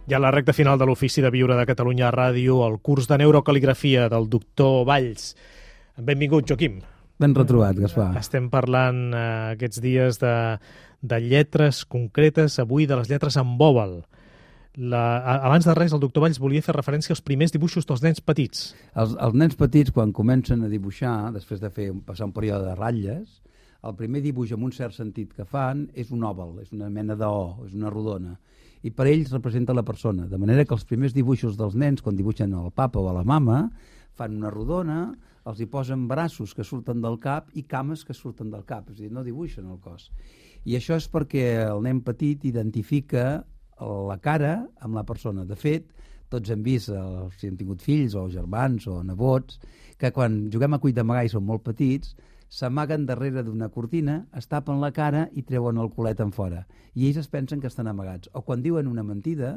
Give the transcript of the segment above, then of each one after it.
Ja a la recta final de l'Ofici de Viure de Catalunya Ràdio, el curs de neurocaligrafia del doctor Valls. Benvingut, Joaquim. Ben retrobat, Gaspar. Estem parlant aquests dies de lletres concretes, avui de les lletres en bòbal. Abans de res, el doctor Valls volia fer referència als primers dibuixos dels nens petits. Els nens petits, quan comencen a dibuixar, després de passar un període de ratlles, el primer dibuix, en un cert sentit que fan, és un òval, és una mena d'O, és una rodona. I per ells representa la persona. De manera que els primers dibuixos dels nens, quan dibuixen el papa o la mama, fan una rodona, els hi posen braços que surten del cap i cames que surten del cap. És a dir, no dibuixen el cos. I això és perquè el nen petit identifica la cara amb la persona. De fet, tots hem vist, si hem tingut fills o germans o nebots, que quan juguem a cuit d'amagar i són molt petits, s'amaguen darrere d'una cortina, es tapen la cara i treuen el culet en fora. I ells es pensen que estan amagats. O quan diuen una mentida,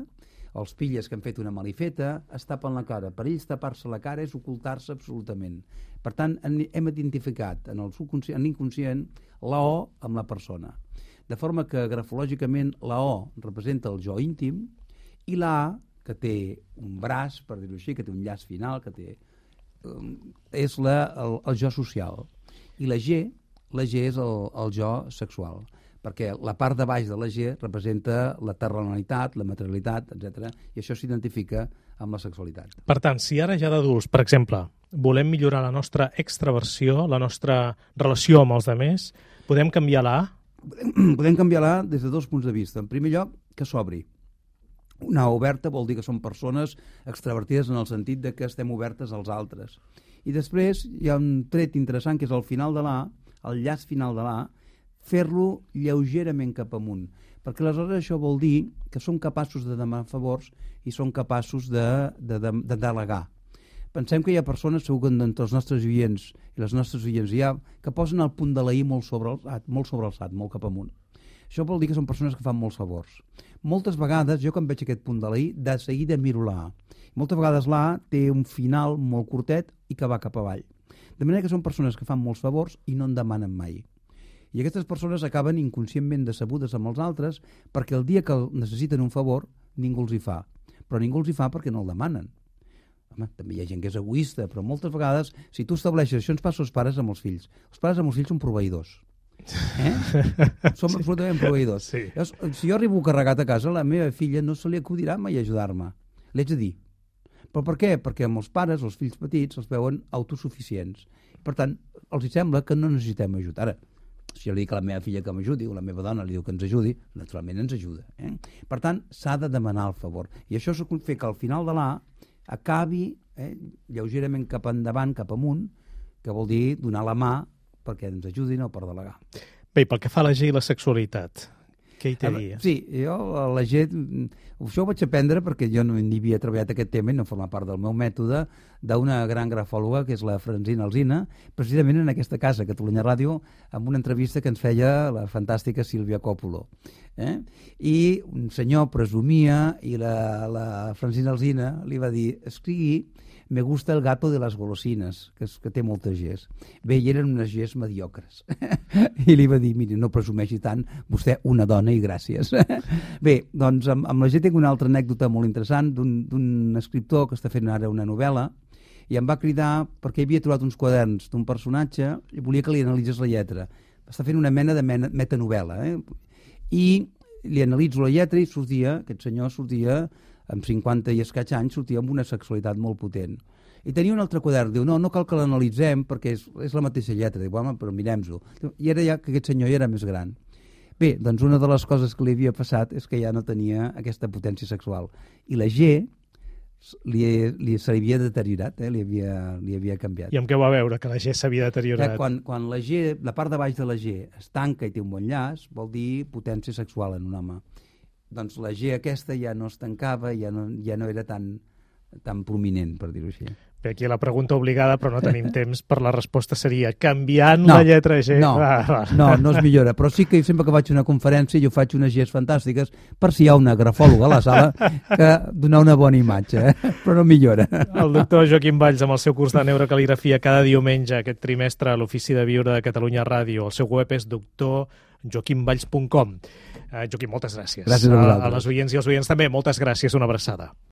els pilles que han fet una malifeta, es tapen la cara. Per ells tapar-se la cara és ocultar-se absolutament. Per tant, hem identificat en l'inconscient la O amb la persona. De forma que grafològicament la O representa el jo íntim i la A, que té un braç, per dir-ho així, que té un llaç final, que té, és el jo social. I la G és el jo sexual, perquè la part de baix de la G representa la terrenalitat, la materialitat, etc. I això s'identifica amb la sexualitat. Per tant, si ara ja d'adults, per exemple, volem millorar la nostra extraversió, la nostra relació amb els altres, podem canviar la A? Podem canviar la A des de dos punts de vista. En primer lloc, que s'obri. Una A oberta vol dir que són persones extravertides en el sentit de que estem obertes als altres. I després hi ha un tret interessant que és al final de l'A, el llaç final de l'A, fer-lo lleugerament cap amunt, perquè aleshores això vol dir que som capaços de demanar favors i som capaços de delegar. Pensem que hi ha persones, segur que entre els nostres oients i les nostres oients hi ha, que posen el punt de la I molt sobrealçat, molt cap amunt. Això vol dir que són persones que fan molts favors. Moltes vegades, jo quan veig aquest punt de la I, de seguida miro la A. Moltes vegades la A té un final molt curtet i que va cap avall. De manera que són persones que fan molts favors i no en demanen mai. I aquestes persones acaben inconscientment decebudes amb els altres perquè el dia que necessiten un favor ningú els hi fa. Però ningú els hi fa perquè no el demanen. Home, també hi ha gent que és egoista, però moltes vegades, si tu estableixes, això ens passa als pares amb els fills. Els pares amb els fills són proveïdors. Som absolutament proveïdors. Sí. Si jo arribo carregat a casa, la meva filla no se li acudirà mai ajudar-me. L'haig de dir. Però per què? Perquè amb els pares, els fills petits, els veuen autosuficients. Per tant, els sembla que no necessitem ajut. Ara, si jo li dic a la meva filla que m'ajudi, o la meva dona li diu que ens ajudi, naturalment ens ajuda. Per tant, s'ha de demanar el favor. I això fa que al final de l'A acabi lleugerament cap endavant, cap amunt, que vol dir donar la mà perquè ens ajudin o per delegar. Bé, pel que fa a la G i la sexualitat, què hi té a dir? Sí, jo a la G, això ho vaig aprendre perquè jo no hi havia treballat aquest tema i no forma part del meu mètode, d'una gran grafòloga que és la Francina Alsina, precisament en aquesta casa, Catalunya Ràdio, amb una entrevista que ens feia la fantàstica Sílvia Còpolo. I un senyor presumia i la Francina Alsina li va dir: escrigui "Me gusta el gato de las golosinas", que té moltes Gs. Bé, i eren unes Gs mediocres. I li va dir: miri, no presumeixi tant, vostè una dona i gràcies. Bé, doncs amb la G tinc una altra anècdota molt interessant d'un escriptor que està fent ara una novel·la i em va cridar perquè havia trobat uns quaderns d'un personatge i volia que li analitzés la lletra. Està fent una mena de metanovel·la. I li analitzo la lletra i aquest senyor sortia amb 50 i escaig anys, sortia amb una sexualitat molt potent. I tenia un altre quadern, diu, no cal que l'analitzem perquè és la mateixa lletra. Diu, home, però mirem-ho. I era ja que aquest senyor ja era més gran. Bé, doncs una de les coses que li havia passat és que ja no tenia aquesta potència sexual. I la G se li havia deteriorat, li havia canviat. I amb què va veure que la G s'havia deteriorat? Quan la G, la part de baix de la G es tanca i té un bon llaç, vol dir potència sexual en un home. Doncs la G aquesta ja no es tancava, ja no era tan prominent, per dir-ho així. Bé, aquí la pregunta obligada, però no tenim temps per la resposta seria canviant la lletra G. No es millora, però sí que sempre que faig una conferència jo faig unes Gs fantàstiques per si hi ha una grafòloga a la sala que donar una bona imatge, però no millora. El doctor Joaquim Valls amb el seu curs de neurocaligrafia cada diumenge aquest trimestre a l'Ofici de Viure de Catalunya Ràdio. El seu web és doctor joaquimvalls.com. Joaquim, moltes gràcies. Gràcies a vosaltres. A les oients i als oients també, moltes gràcies, una abraçada.